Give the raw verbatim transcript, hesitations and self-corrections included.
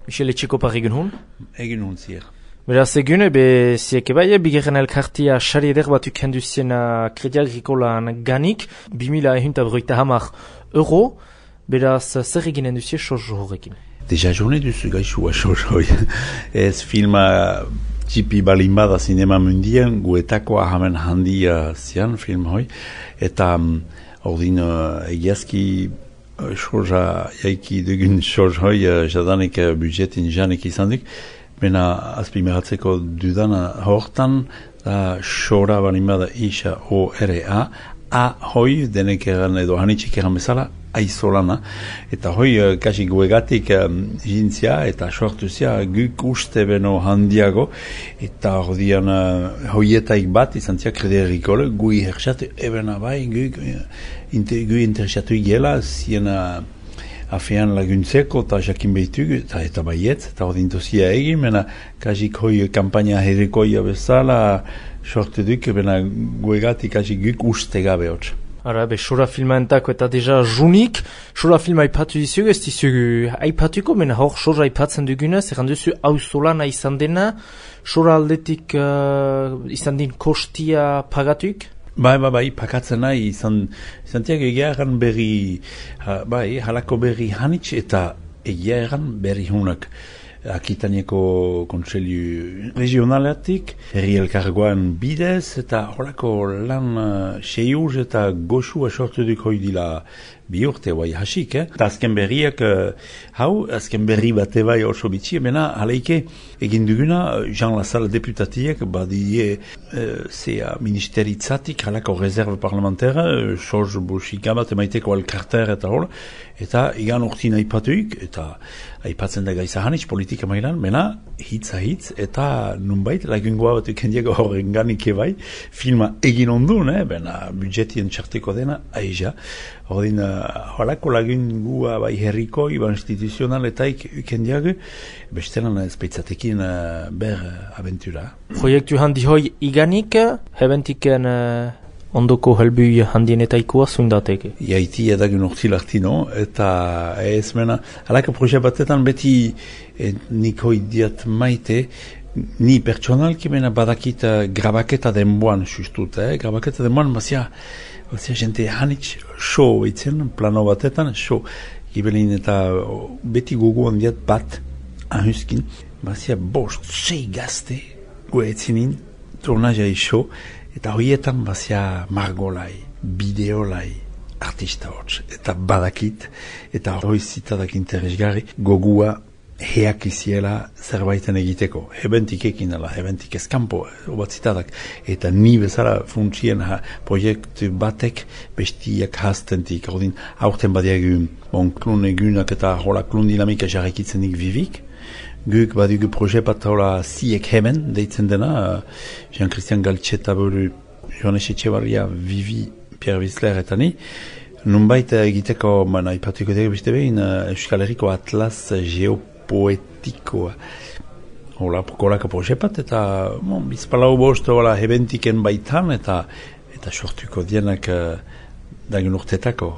Michel Etxekopar egin hun? Egin hun zier. Beraz egun, ebe ziek ebai, bigarren elkartia sari eder bat ukendu zena Kredi Agrikolan ganik, bi mila ehunta berroita hamar euro, beraz zer eginen duzie soz horrekin? Deja jone duzu gaixua soz hoi. Ez filma txipi balin bada sinema mundien, guetako ahamen handia zian film hoi, eta um, ordin uh, egiazki soza jaiki dugun soz hoi, uh, jadanik uh, budjetin janik izan dik, bena azpimeratzeko dudana hortan, da sora balin bada isa O R A, A hoi, denek eran edo hanitxik eran bezala, aizolana, eta hoi uh, kasi guegatik um, jintzia eta sortuzia guk uste beno handiago, eta ordian uh, hoietaik bat izan zia Kredi Agrikole, gui herxatu ebena bai, guk uh, inter, gui interesatu igela, ziena afean laguntzeko eta jakin behitugu, eta, eta baiet, eta ordin tozia egin, mena kasik hoi kampaina herrikoia bezala sortu duk, bena guegatik kasi guk uste gabe hotz. Ara, be, sora filmaentako eta deja junik, sora filma aipatu dizugu, ez dizugu aipatuko, mena hor sora aipatzen dugunez, erran duzu hau solana izan dena, sora aldetik uh, izan din kostia pagatuik? Bai, bai, bai, pakatzen nahi, izan, izan tiak egia egan berri, ha, bai, halako berri hanitz eta egia egan berri hunak. Akitanieko kontseilu regionalatik, herri elkargoan bidez, eta horako lan uh, seiuz eta goxua sortu duk hoi dila bi urte bai hasik, eh? Eta azken berriak, uh, hau, azken berri bate bai oso bitxi, mena haleike egin duguna, Jean Lassalle deputatiek, badie uh, zea ministeritzatik, halako reserve parlamentara, uh, soz boxika bat emaiteko alkarter eta hor, eta igan urtin aipatuik, eta aipatzen da gaiza hanitz politika mailan, mena hitza hitz, eta nunbait lagungoa bat ukendiago horren ganik ebai, filma egin ondun, eh? Bena budjetien txarteko dena, aiza. Ordin, uh, holako lagungua bai herrikoi, bai instituzional eta ukendiago, bestelan ezpeitzatekin uh, ber uh, aventura. Proiektu handi hoi iganik, hebentiken uh, ondoko helbui handienetaikoa zuindateke? Iaiti edagun urtilartino, eta ez mena, halako proje batetan beti eh, nik hoi diat maite, ni pertsonalki mena badakit uh, grabaketa denboan sustut, eh? Grabaketa denboan bazia, bazia jente hanitz show eitzen, plano batetan, show, gibelin eta oh, beti gogo handiat bat ahuskin, bazia bost, sei gazte, goetzinin, turnajai show, eta horietan bazia margolai, bideolai, artista hotz, eta badakit, eta hori zitadak interesgarri, gogua heak iziela zerbaiten egiteko. Hebentik ekin dela, hebentik eskampo, obat zitadak. Eta ni bezala funtzien ha, proiektu batek bestiak hastentik. Ordin, aurten badiagu, bon, klun egunak eta hola klun dinamika jarrekitzenik vivik. Guk badugu proje bat hola ziek hemen, deitzen dena, Jean-Christian Galtxeta buru, Joanes Etxebarria, Vivi, Pierre Wissler eta ni, nunbait egiteko, mana ipatuko dugu beste behin, Euskal Herriko Atlas Geopoetikoa. Hola, kolako proje bat, eta bon, bizpalau bost, hola, hebentiken baitan, eta eta sortuko dienak dagun urtetako.